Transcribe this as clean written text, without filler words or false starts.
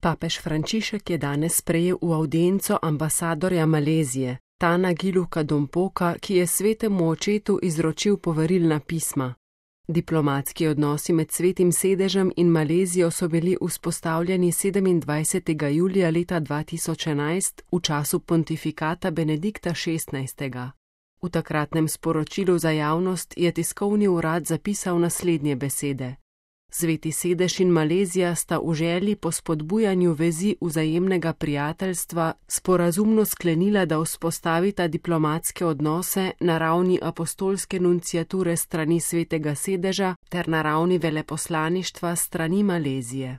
Papež Frančišek je danes sprejel v avdienco ambasadorja Malezije, Tana Giluka Dompoka, ki je svetemu očetu izročil poverilna pisma. Diplomatski odnosi med Svetim sedežem in Malezijo so bili vzpostavljeni 27. julija leta 2011 v času pontifikata Benedikta XVI. V takratnem sporočilu za javnost je tiskovni urad zapisal naslednje besede. Sveti sedež in Malezija sta v želji po spodbujanju vezi vzajemnega prijateljstva sporazumno sklenila, da vzpostavita diplomatske odnose na ravni apostolske nunciature strani Svetega sedeža ter na ravni veleposlaništva strani Malezije.